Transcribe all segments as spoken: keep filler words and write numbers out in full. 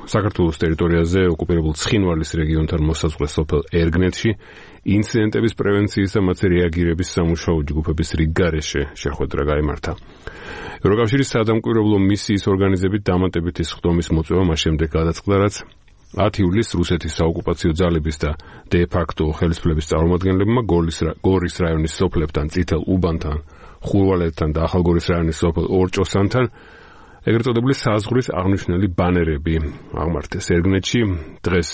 საქართველოს ტერიტორიაზე ოკუპირებულ ცხინვალის რეგიონთან მოსაზღვრე სოფელ ერგნეთში ინციდენტების პრევენციის და მათზე რეაგირების სამუშაო ჯგუფების რიგგარეშე შეხვედრა გაიმართა. ევროკავშირის საადამკვირვებლო მისიის ორგანიზებით დამატებითი სხდომის მოწვევა მას შემდეგ გადაწყდა, რაც ათი ივლისს რუსეთის საოკუპაციო ძალების და დე-ფაქტო ხელისუფლების წარმომადგენლებმა გორის რაიონის სოფლებთან, წითელ უბანთან, ხურვალეთთან და ახალგორის რაიონის სოფელ ორჭოსანთან ეგრეთ წოდებული საზღვრის აღნიშნული ბანერები აღმართეს ერგნეთში. დღეს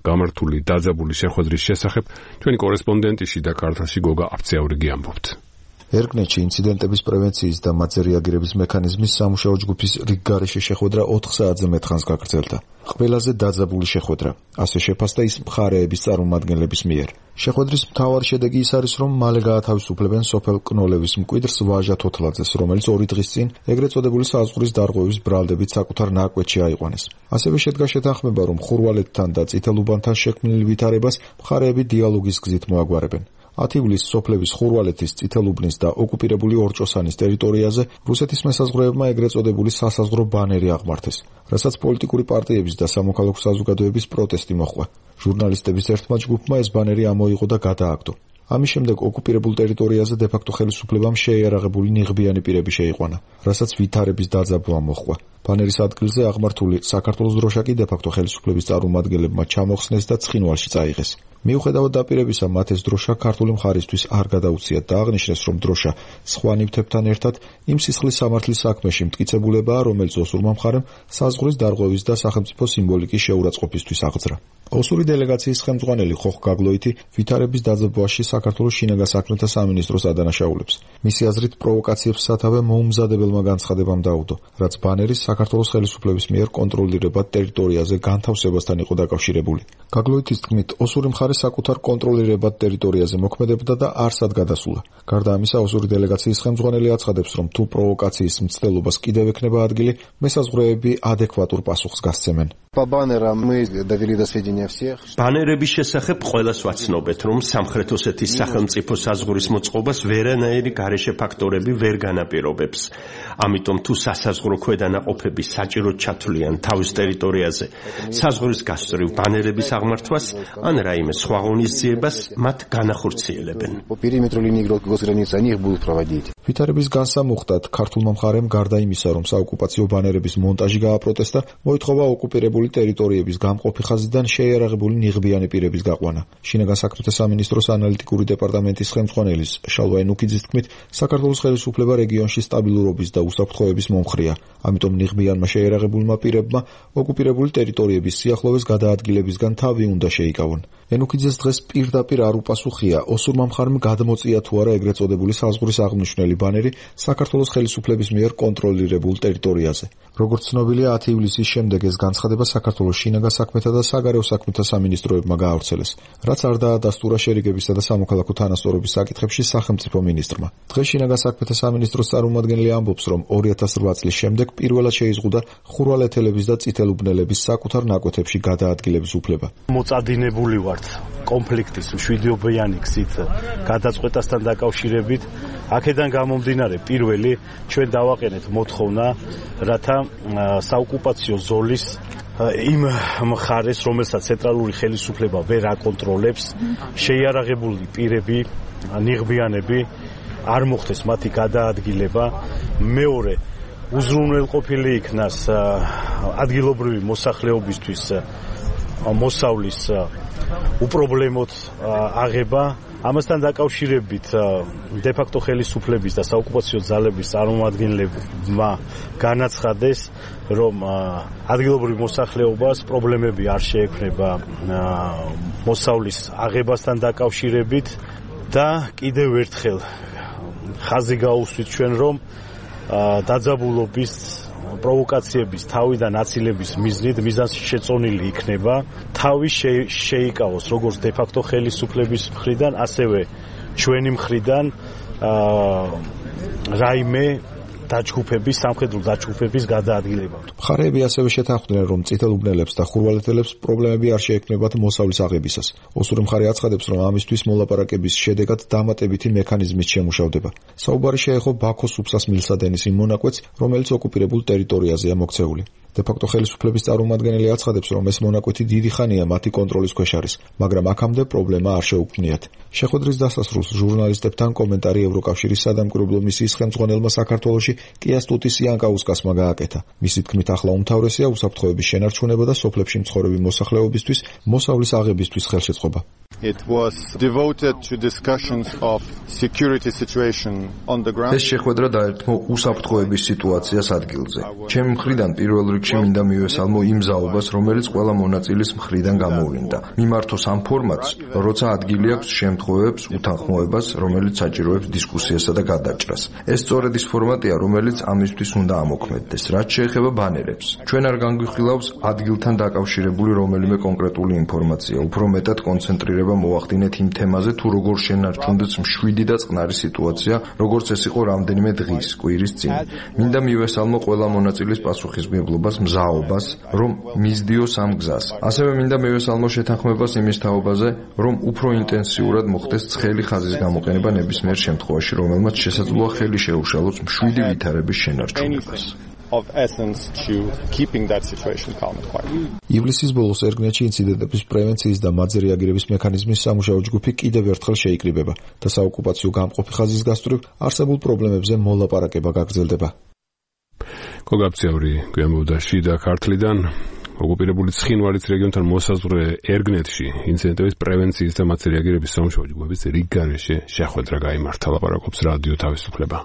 გამართული დაძაბული შეხვედრის შესახებ ჩვენი კორესპონდენტი შიდა ქართლში გოგა აფცეაურიგი ამბობთ. ერგნეთში ინციდენტების პრევენციის და მათზე რეაგირების მექანიზმის სამუშაო ჯგუფის რიგგარეშე შეხვედრა ოთხ საათზე მეტ ხანს გაგრძელდა. ყველაზე დაძაბული შეხვედრა, ასე შეფასდა ის მხარეების წარმომადგენლების მიერ. შეხვედრის მთავარი შედეგი ის არის, რომ მალე გაათავისუფლებენ სოფელ კნოლევის მკვიდრს ვაჟა თოთლაძეს, რომელიც ორი დღის წინ ეგრეთ წოდებული საზღვრის დარღვევის ბრალდებით საკუთარ ნაკვეთში აიყვანეს. ასევე შედგა შეთანხმება, რომ ხურვალეთთან და წითელ უბანთან შექმნილ ვითარებას მხარეები დიალოგის გზით მოაგვარებენ. ათი ივლისს სოფლების ხურვალეთის, წითელუბნის და ოკუპირებული ორჭოსანის ტერიტორიაზე რუსეთის მესაზღვრეებმა ეგრეთ წოდებული სასაზღვრო ბანერი აღმართეს, რასაც პოლიტიკური პარტიების და სამოქალაქო საზოგადოების პროტესტი მოჰყვა. ჟურნალისტების ერთმა ჯგუფმა ეს ბანერი ამოიღო და გადააგდო. ამის შემდეგ ოკუპირებულ ტერიტორიაზე დე-ფაქტო ხელისუფლებამ შეიარაღებული ნიღბიანი პირები შეიყვანა, რასაც ვითარების დაძაბვა მოჰყვა. ბანერის ადგილზე აღმართული საქართველოს დროშა კი დე-ფაქტო ხელისუფლების წარმომადგენლებმა ჩამოხსნეს და ცხინვალში წაიღეს. მიუხედავად დაპირებისა, მათ ეს დროშა ქართული მხარისთვის არ გადაუციათ და აღნიშნეს, რომ დროშა სხვა ნივთებთან ერთად იმ სისხლის სამართლის საქმეში მტკიცებულებაა, რომელიც ოსურმა მხარემ საზღვრის დარღვევის და სახელმწიფო სიმბოლიკის შეურაცხყოფისთვის აღძრა. ოსური დელეგაციის ხელმძღვანელი ხოხ გაგლოითი ვითარების დაძაბვაში საქართველოს შინაგან საქმეთა სამინისტროს ადანაშაულებს. მისი აზრით, პროვოკაციებს სათავე მოუმზადებელმა განცხადებამ დაუდო, რაც ბანერის საქართველოს ხელისუფლების მიერ კონტროლირებად ტერიტორიაზე განთავსებასთან იყო დაკავშირებული. გაგლოითის თქმით, ოსური მხარე საკუთარ კონტროლირებად ტერიტორიაზე მოქმედებდა და არსად გადასულა. გარდა ამისა, ოსური დელეგაციის ხელმძღვანელი აცხადებს, რომ თუ პროვოკაციის მცდელობას კიდევ ექნება ადგილი, მესაზღვრეები ადეკვატურ პასუხს გასცემენ. ბანერების შესახებ ყველას ვაცნობეთ, რომ სამხრეთ ოსეთის სახელმწიფო საზღვრის მოწყობას ვერანაირი გარეშე ფაქტორები ვერ განაპირობებს. ამიტომ თუ სასაზღვრო ქვედანაყოფები საჭიროდ ჩათვლიან თავის ტერიტორიაზე საზღვრის გასწვრივ ბანერების აღმართვას ან რაიმე სხვა ღონისძიებას, მათ განახორციელებენ. ვითარების განსამუხტად ქართულმა მხარემ გარდა იმისა, რომ საოკუპაციო ბანერების მონტაჟი გააპროტესტა, მოითხოვა ოკუპირებული ტერიტორიების გამყოფი ხაზიდან შეიარაღებული ნიღბიანი პირების გაყვანა. შინაგან საქმეთა სამინისტროს ანალიტიკური დეპარტამენტის ხელმძღვანელის შალვა ენუქიძის თქმით, საქართველოს ხელისუფლება რეგიონში სტაბილურობის და უსაფრთხოების მომხრეა. ამიტომ ნიღბიანმა შეიარაღებულმა პირებმა ოკუპირებული ტერიტორიების სიახლოვეს გადაადგილებისგან თავი უნდა შეიკავონ. ენუქიძეს დღეს პირდაპირ არ უპასუხია, ოსურმა მხარემ გადმოწია თუ არა ეგრეთ წოდებული საზღვრის აღმნიშვნელი ბანერი საქართველოს ხელისუფლების მიერ კონტროლირებულ ტერიტორიაზე. როგორც ცნობილია, ათი ივლისის შემდეგ ეს განცხადება საქართველოს შინაგან საქმეთა და საგარეო საქმეთა სამინისტროებმა გაავრცელეს, რაც არ დაადასტურა შერიგებისა და სამოქალაქო თანასწორობის საკითხებში სახელმწიფო მინისტრმა. დღეს შინაგან საქმეთა სამინისტროს წარმომადგენელი ამბობს, რომ ორი ათას რვა წლის შემდეგ პირველად შეიზღუდა ხურვალეთელების და წითელუბნელების საკუთარ ნაკვეთებში გადაადგილების უფლება. მოწადინებული ვართ კონფლიქტის მშვიდობიანი გზით გადაწყვეტასთან დაკავშირებით. აქედან გამომდინარე, პირველი ჩვენ დავაყენეთ მოთხოვნა, რათა საოკუპაციო ზოლის იმ მხარეს, რომელსაც ცენტრალური ხელისუფლება ვერ აკონტროლებს, შეიარაღებული პირები, ნიღბიანები არ მოხდეს მათი გადაადგილება. მეორე, უზრუნველყოფილი იქნას ადგილობრივი მოსახლეობისთვის მოსავლის უპრობლემოდ აღება. ამასთან დაკავშირებით დე-ფაქტო ხელისუფლების და საოკუპაციო ძალების წარმომადგენლებმა განაცხადეს, რომ ადგილობრივ მოსახლეობას პრობლემები არ შეექმნება მოსავლის აღებასთან დაკავშირებით და კიდევ ერთხელ ხაზი გაუსვით ჩვენ, რომ დაძაბულობის პროვოკაციების თავიდან აცილების მიზნით მიზანს შეწონილი იქნება თავი შეიკავოს როგორც დე-ფაქტო ხელისუფლების მხრიდან, ასევე ჩვენი მხრიდან რაიმე დაჯგუფების, სამხედრო დაჯგუფების გადაადგილება. მხარეები ასევე შეთანხმდნენ, რომ წითელ უბნელებს და ხურვალეთელებს პრობლემები არ შეექმნებათ მოსავლის აღებისას. ოსური მხარე აცხადებს, რომ ამისთვის მოლაპარაკების შედეგად დამატებითი მექანიზმის შემუშავდება. საუბარი შეეხო ბაქოს უფსას მილსადენის იმ მონაკვეთს, რომელიც ოკუპირებულ ტერიტორიაზეა მოქცეული. დე-ფაქტო ხელისუფლების წარმომადგენელი აცხადებს, რომ ეს მონაკვეთი დიდი ხანია მათი კონტროლის ქვეშ არის, მაგრამ აქამდე პრობლემა არ შეუქმნიათ. შეხვედრის დასასრულს ჟურნალისტებთან კომენტარი ევროკავშირის სადამკვირვებლო მისიის ხელმძღვანელმა საქართველოში კიასტუტის იანკაუსკასმა გააკეთა. მისი თქმით, ახლა უმთავრესია უსაფრთხოების შენარჩუნება და სოფლებში მცხოვრები მოსახლეობისთვის მოსავლის აღებისთვის ხელშეწყობა. It was devoted to discussions of security situation on the ground. ეს შეხვედრა დაერთმო უსაფრთხოების სიტუაციას ადგილზე. ჩემი მხრიდან პირველ რიგში მინდა მივესალმო იმ ზაობას, რომელიც ყველა მონაწილის მხრიდან გამოვლინდა. მიმართოს ამ ფორმატს, როცა ადგილი აქვს შემთხვევებს უთანხმოებას, რომელიც საჭიროებს დისკუსიასა და გადაჭრას. ეს სწორედ ის ფორმატია, რომელიც ამისთვის უნდა ამოქმედდეს, რაც შეეხება ბანერებს. ჩვენ არ განგვიხილავს ადგილთან დაკავშირებული რომელიმე კონკრეტული ინფორმაცია, უფრო მეტად კონცენტრირება მოახდინეთ იმ თემაზე, თუ როგორ შენარჩუნდეს მშვიდი და წყნარი სიტუაცია, როგორც ეს იყო რამდენიმე დღის, კვირის წინ. მინდა მივესალმო ყველა მონაწილის პასუხისმგებლობას, მზაობას, რომ მისდიოს ამ გზას. ასევე მინდა მივესალმო შეთანხმებას იმის თაობაზე, რომ უფრო ინტენსიურად მოხდეს ცხელი ხაზის გამოყენება ნებისმიერ შემთხვევაში, რომელმაც შესაძლოა ხელი შეუშალოს მშვიდი ვითარების შენარჩუნებას. Of essence to keeping that situation calm and quiet. ივლისის ბოლოს ერგნეთში ინციდენტების პრევენციის და მათზე რეაგირების მექანიზმის სამუშაო ჯგუფი კიდევ ერთხელ შეიკრიბება და საოკუპაციო გამყოფი ხაზის გასწვრივ არსებულ პრობლემებზე მოლაპარაკება გაგრძელდება. კოგაბციური გვემოვდა შიდა ქართლიდან ოკუპირებული ცხინვალის რეგიონთან მოსაზღვრე ერგნეთში ინციდენტების პრევენციის და მათზე რეაგირების სამუშაო ჯგუფების რიგგარეშე შეხვედრა გაიმართა. ლაპარაკობს რადიო თავისუფლება.